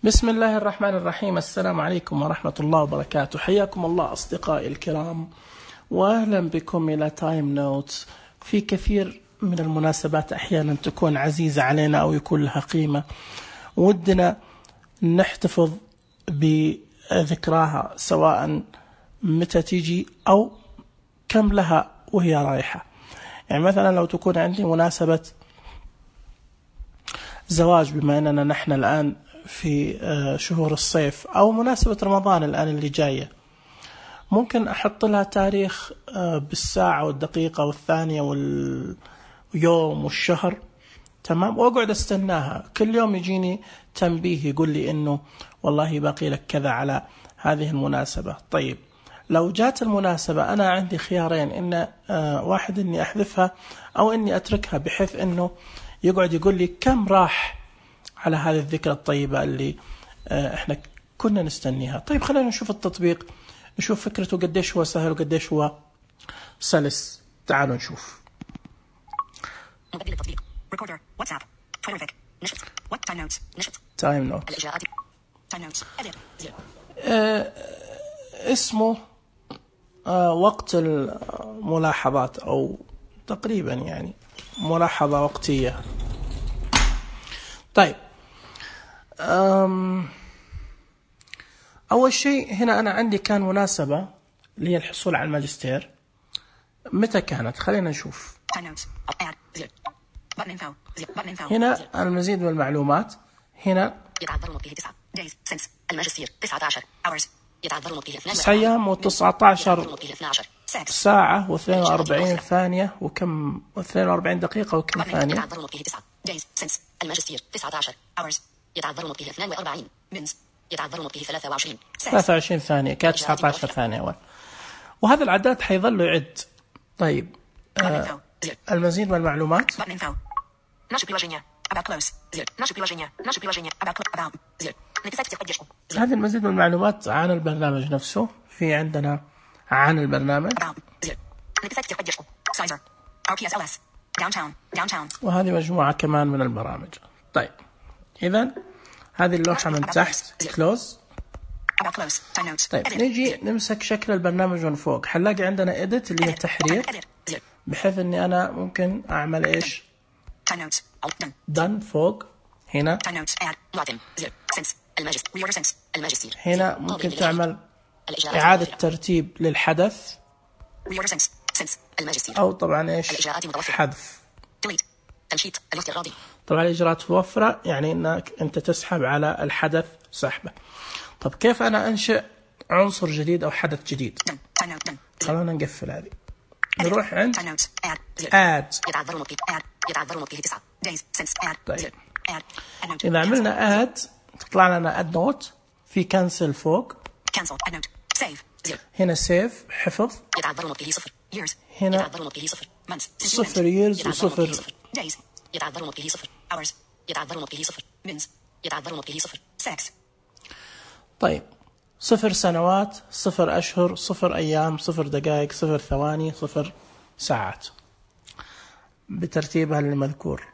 بسم الله الرحمن الرحيم. السلام عليكم ورحمة الله وبركاته. حياكم الله أصدقائي الكرام، وأهلا بكم إلى تايم نوتس. في كثير من المناسبات أحيانا تكون عزيزة علينا أو يكون لها قيمة، ودنا نحتفظ بذكراها سواء متى تيجي أو كم لها وهي رايحة. يعني مثلا لو تكون عندي مناسبة زواج، بما أننا نحن الآن في شهور الصيف، أو مناسبة رمضان الآن اللي جاية، ممكن أحط لها تاريخ بالساعة والدقيقة والثانية واليوم والشهر، تمام، وأقعد أستناها كل يوم يجيني تنبيه يقول لي إنه والله باقي لك كذا على هذه المناسبة. طيب لو جات المناسبة أنا عندي خيارين، إن واحد إني أحذفها أو إني أتركها، بحيث إنه يقعد يقول لي كم راح على هذه الذكرى الطيبة اللي احنا كنا نستنيها. طيب خلينا نشوف التطبيق، نشوف فكرته قديش هو سهل وقديش هو سلس. تعالوا نشوف. مقدمة التطبيق: ريكوردر، واتساب، تويتر، نشط، تايم نوتس، نشط، تايم نوتس، الإجراءات، تايم نوتس، اسمه وقت الملاحظات، أو تقريبا يعني ملاحظة وقتية. طيب أول شيء هنا أنا عندي كان مناسبة اللي هي الحصول على الماجستير. متى كانت؟ خلينا نشوف. هنا المزيد من المعلومات. هنا يتعذر نطقه 9 days since الماجستير 19 hours. يتعذر نطقه 9 أيام و19 ساعة و42 ثانية وكم 42 دقيقة وكم ثانية. يتعذر نطقه 9 days since الماجستير 19 hours. يتعذر نطقه 42 minutes. يتعذر نطقه 23 ثانية، كانت 19 ثانية أول. وهذا العداد حيظل يعد. طيب المزيد من المعلومات. هذه المزيد من المعلومات عن البرنامج نفسه. في عندنا عن البرنامج، وهذه مجموعة كمان من البرامج. طيب إذن هذه اللوحة من تحت كلوز. طيب نيجي نمسك شكل البرنامج من فوق، حنلاقي عندنا edit اللي هي تحرير، بحيث اني انا ممكن اعمل ايش؟ done فوق. هنا هنا ممكن تعمل اعادة ترتيب للحدث، او طبعا ايش؟ حذف. طبعا الاجراءات موفرة، يعني انك انت تسحب على الحدث سحبه. طب كيف انا انشئ عنصر جديد او حدث جديد؟ خلونا نقفل هذه، نروح عند add. طيب اذا عملنا add تطلع لنا add note، في cancel فوق، هنا save حفظ، هنا 0 years و0 يتعذر نطقه 0 hours. يتعذر نطقه 0 minutes. يتعذر نطقه 0 sex. طيب 0 سنوات، 0 أشهر، 0 أيام، 0 دقائق، 0 ثواني، 0 ساعات، بترتيبها المذكور.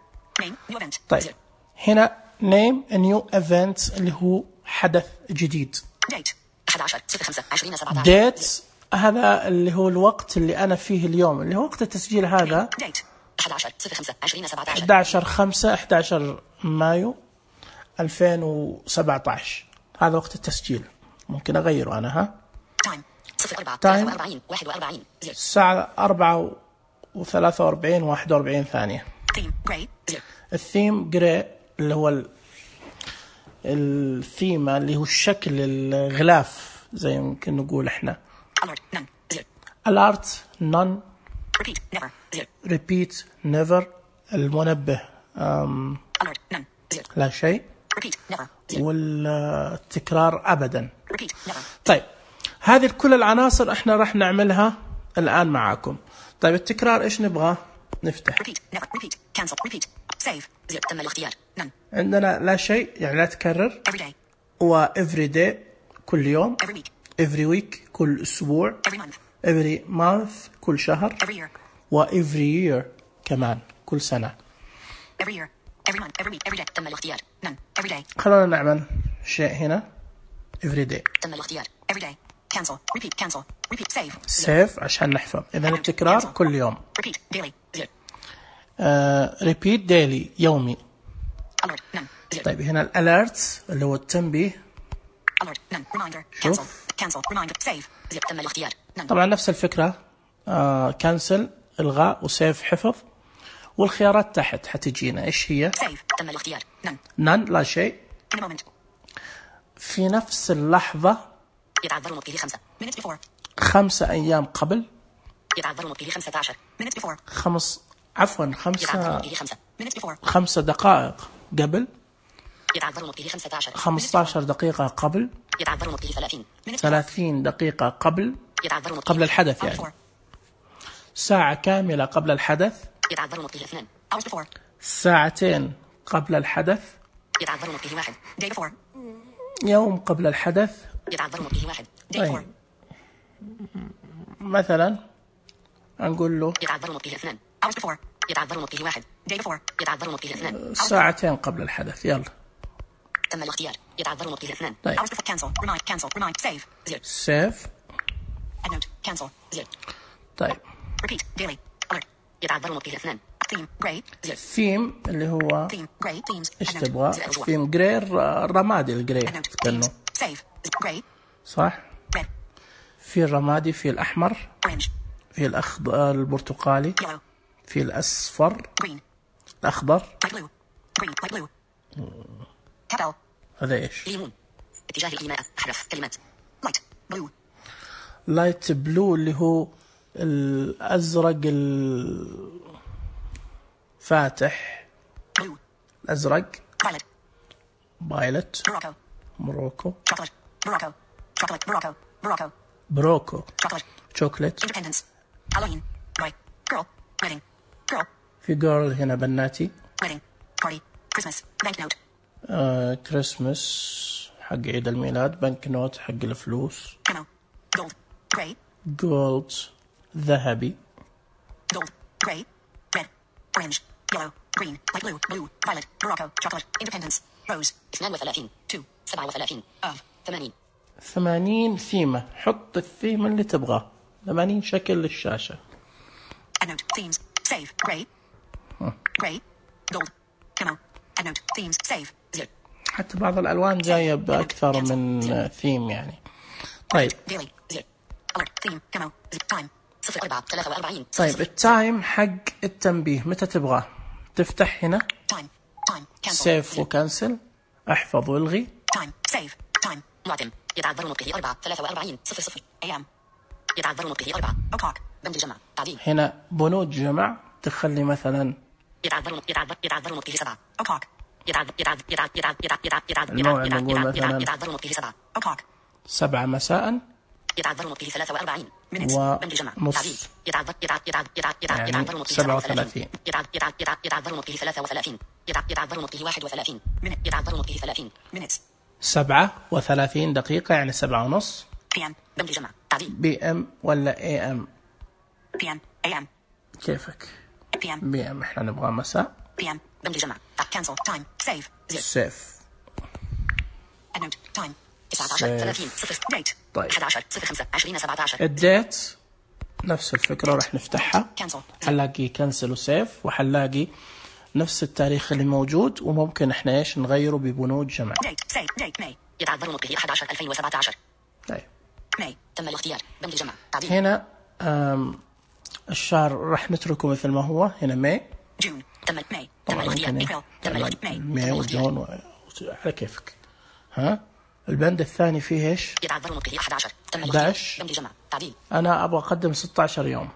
طيب هنا name a new event اللي هو حدث جديد. date هذا اللي هو الوقت اللي أنا فيه اليوم، اللي هو وقت التسجيل هذا 11 مايو 2017. هذا وقت التسجيل، ممكن أغيره أنا. تايم الساعة 4:43 و41 ثانية. الثيم جراي اللي هو الثيمة اللي هو الشكل الغلاف، زي ممكن نقول احنا. alert none. repeat never. المنبه لا شيء، والتكرار أبدا. طيب هذه كل العناصر احنا راح نعملها الآن معاكم. طيب التكرار ايش نبغى؟ نفتح تم الاختيار. عندنا لا شيء، يعني لا تكرر، و every day كل يوم، every week كل أسبوع، every month كل شهر، و every year كمان كل سنة. every year, every month, every week, every day. تم الاختيار. none. every day. خلونا نعمل شيء هنا everyday. تم الاختيار. everyday. cancel. repeat. cancel. repeat. save. save عشان نحفظ. إذا التكرار كل يوم. repeat. daily. 0. repeat daily يومي. alert. none. 0. طيب هنا الاليرتس اللي هو التنبيه. alert. none. reminder. شوف. cancel. reminder. save. 0. تم الاختيار. none. طبعا نفس الفكرة. كانسل إلغاء وسيف حفظ. والخيارات تحت حتجينا إيش هي؟ save. تم الاختيار. none. none لا شيء. in a moment. في نفس اللحظة. يتعذر مبقيه 5 minutes before. 5 أيام قبل. يتعذر مبقيه 15 minutes before. عفوا يتعذر مبقيه 5 minutes before. 5 دقائق قبل. يتعذر مبقيه 15 15 دقيقة قبل. يتعذر مبقيه 30 minutes before. 30 دقيقة قبل. يتعذر مبقيه قبل الحدث يعني. ساعة كاملة قبل الحدث. يتعذر مبقيه 2 hours before. ساعتين قبل الحدث. يتعذر مبقيه 1 day before. يوم قبل الحدث. يتعذر مبقيه 1 day before. مثلا نقول له يتعذر مبقيه 2 hours before. يتعذر مبقيه 1 day before. يتعذر مبقيه 2 ساعتين قبل الحدث. يلا تم الاختيار. يتعذر مبقيه 2 طيب. hours before. cancel. remind. save. 0. save. add note. cancel. 0. طيب repeat. daily. alert. يتعذر مبقيه 2 theme. gray. 0. ثيم اللي هو theme. gray. themes. ايش تبغى؟ ثيم جري الرمادي الجري كأنه save. gray. صح. red. في الرمادي، في الأحمر، orange. في الأخضر، البرتقالي، yellow. في الأصفر، green. الأخضر. light blue. green. light blue. كابل. هذا إيش؟ ليمون. اتجاه الإيماء. أحرف كلمات light blue. لايت بلو اللي هو الأزرق الفاتح. blue. الأزرق. violet. بايلت. morocco. موروكو. chocolate. morocco. chocolate. morocco. morocco. بروكو. chocolate. شوكليت. independence. halloween. boy. girl. wedding. girl. في جيرل هنا بناتي. wedding. party. christmas. banknote. كريسمس حق عيد الميلاد. بنك نوت حق الفلوس. camo. gold. gray. جولد ذهبي. gold. gray. red. orange. yellow. green. light blue. blue. violet. morocco. chocolate. independence. rose. 32 2 37 of 80. 80 ثيمة. حط الثيمة اللي تبغاه. 80 شكل للشاشة. add note. themes. save. gray. gray. gold. camo. add note. themes. save. 0. حتى بعض الألوان جاية بأكثر من ثيم يعني. طيب daily. 0. alert. theme. camo. time. 04 43. طيب التايم حق التنبيه متى تبغاه؟ تفتح هنا time. cancel. سيف وكنسل. احفظ والغي. time. save. time. معتم. يتعذر مبقيه 4 43 00 am. يتعذر مبقيه 4 o'clock. بند الجمع. تعديل. هنا بنود جمع تخلي مثلا يتعذر مبقيه 7 o'clock. الموعد نقول مثلا يتعذر مبقيه 7 o'clock. 7 مساء. يتعذر مبقيه 43 minutes. بند الجمع. تعديل. ونص يتعذر يعني 37. يتعذر مبقيه 33. يتعذر مبقيه 31 minute. يتعذر مبقيه 30 minutes. 37 دقيقة يعني 7 ونص. PM. بند الجمع. تعديل. PM ولا AM؟ PM. AM. كيفك؟ PM. PM احنا نبغى مساء. PM. بند الجمع. cancel. time. save. 0. سيف. add note. time. 19 30 0 date. طيب 11 05 20 17. الديت نفس الفكرة راح نفتحها. cancel. حنلاقي كنسل وسيف وحنلاقي نفس التاريخ اللي موجود وممكن احنا ايش نغيره ببنود جمع. date. save. date. May. يتعذر مبقيه 11 2017. طيب May. تم الاختيار. بند الجمع. تعديل. هنا الشهر راح نتركه مثل ما هو. هنا ماي. جون. تم ماي. تم الاختيار. ابريل. تم الاختيار. ماي وجون على كيفك. ها البند الثاني فيه ايش؟ يتعذر مبقيه 11. تم 11. بند الجمع. تعديل. انا ابغى اقدم 16 يوم.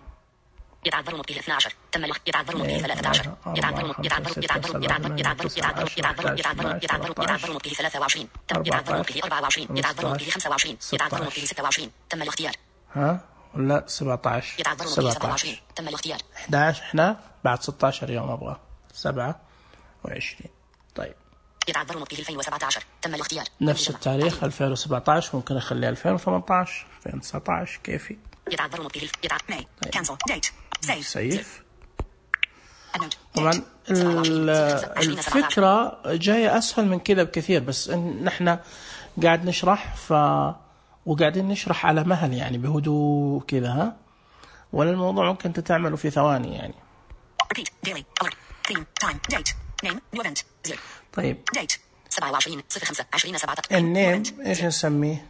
يتعذر مبقيه 12. تم يتعذر مبقيه 13. يتعذر مبقيه 23. تم يتعذر مبقيه 24. يتعذر مبقيه 25. يتعذر مبقيه 26. تم الاختيار. ها ولا 17؟ يتعذر مبقيه 27. تم الاختيار. 11 احنا بعد 16 يوم ابغى 27. طيب يتعذر مبقيه 2017. تم الاختيار. نفس التاريخ 2017 ممكن اخليه 2018 2019 كيفي. يتعذر مبقيه ماي. cancel. date. save. سيف. طبعا الفكرة جاية أسهل من كذا بكثير، بس إن نحن قاعد نشرح وقاعدين نشرح على مهل يعني بهدوء كذا، ها، ولا الموضوع ممكن تتعمله في ثواني يعني. طيب النيم إيش نسميه؟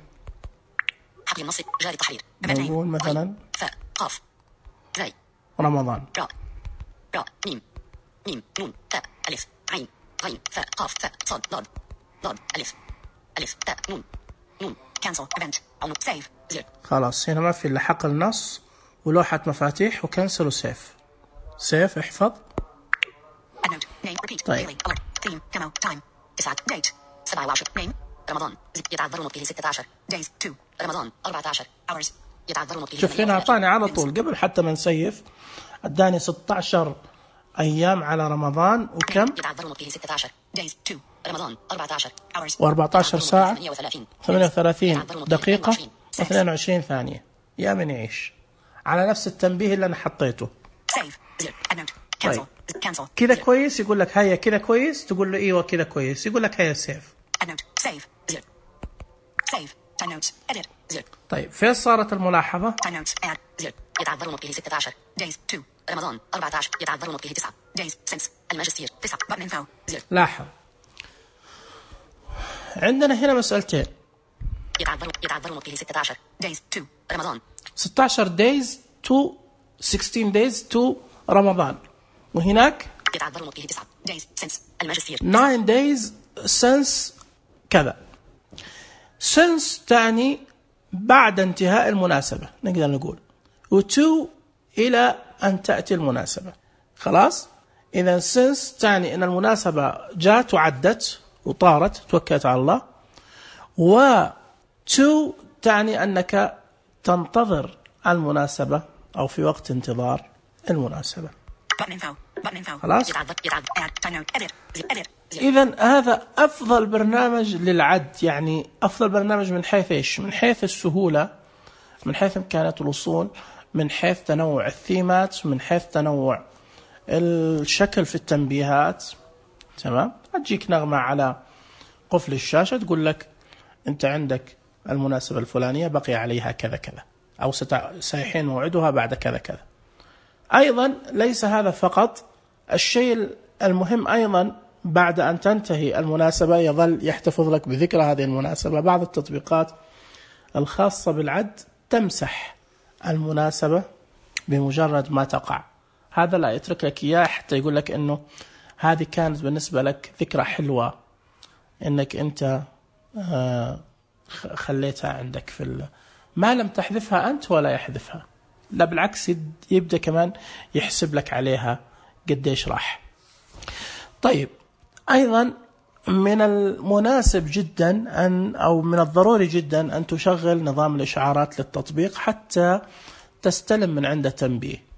حقل النص جاري التحرير. نقول مثلا فاء قاف زي رمضان. راء ميم نون تاء ألف عين غين فاء قاف فاء صاد ضاد ألف تاء نون كانسل ايفنت او سيف زر. خلاص هنا ما في الا حقل نص ولوحة مفاتيح وكنسل وسيف. سيف احفظ. طيب 27 رمضان يتعذر نطقه 16 days 2 رمضان 14 hours يتعذر نطقه. شوف هنا أعطاني على طول قبل حتى ما نسيف أداني 16 أيام على رمضان وكم؟ يتعذر نطقه 16 days 2 رمضان 14 hours و14 ساعة 38 دقيقة 22 ثانية. يا من يعيش على نفس التنبيه اللي أنا حطيته. طيب كذا كويس؟ يقول لك هيا كذا كويس، تقول له ايوه كذا كويس، يقول لك هيا سيف. طيب فين صارت الملاحظة؟ يتعذر نطقه 16 days 2 رمضان 14 يتعذر نطقه 9 days since الماجستير 9 button info. لاحظ عندنا هنا مسألتين. يتعذر نطقه 16 days 2 رمضان 16 days to 16 days to رمضان، وهناك يتعذر نطقه 9 days since الماجستير 9 days since كذا. since تعني بعد انتهاء المناسبة نقدر نقول، و2 إلى أن تأتي المناسبة. خلاص إذا since تعني أن المناسبة جات وعدت وطارت توكلت على الله، و2 تعني أنك تنتظر المناسبة أو في وقت انتظار المناسبة. خلاص إذن هذا أفضل برنامج للعد، يعني أفضل برنامج من حيث إيش؟ من حيث السهولة، من حيث إمكانية الوصول، من حيث تنوع الثيمات، من حيث تنوع الشكل في التنبيهات. تمام، تجيك نغمة على قفل الشاشة تقول لك أنت عندك المناسبة الفلانية بقي عليها كذا كذا، أو سيحين موعدها بعد كذا كذا. أيضا ليس هذا فقط، الشيء المهم أيضا بعد أن تنتهي المناسبة يظل يحتفظ لك بذكرى هذه المناسبة. بعض التطبيقات الخاصة بالعد تمسح المناسبة بمجرد ما تقع، هذا لا يترك لك إياه حتى يقول لك أنه هذه كانت بالنسبة لك ذكرى حلوة أنك أنت خليتها عندك في ما لم تحذفها أنت ولا يحذفها، لا بالعكس يبدأ كمان يحسب لك عليها قديش راح. طيب أيضا من المناسب جدا أو من الضروري جدا أن تشغل نظام الإشعارات للتطبيق حتى تستلم من عنده تنبيه.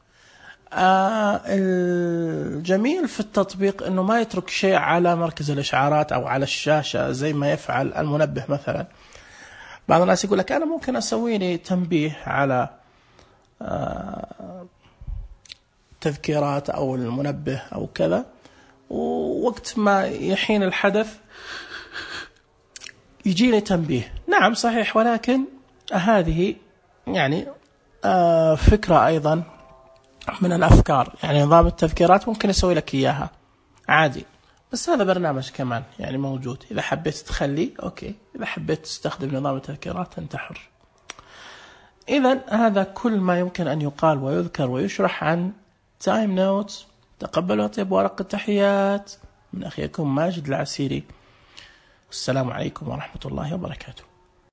الجميل في التطبيق أنه ما يترك شيء على مركز الإشعارات أو على الشاشة زي ما يفعل المنبه مثلا. بعض الناس يقول لك أنا ممكن أسوي لي تنبيه على تذكيرات أو المنبه أو كذا، ووقت ما يحين الحدث يجيني تنبيه. نعم صحيح، ولكن هذه يعني فكرة أيضا من الأفكار، يعني نظام التذكيرات ممكن يسوي لك إياها عادي، بس هذا برنامج كمان يعني موجود، إذا حبيت تخليه أوكي، إذا حبيت تستخدم نظام التذكيرات أنت حر. إذن هذا كل ما يمكن أن يقال ويذكر ويشرح عن تايم نوتس. تقبلوا طيب ورق التحيات من أخيكم ماجد العسيري، والسلام عليكم ورحمة الله وبركاته.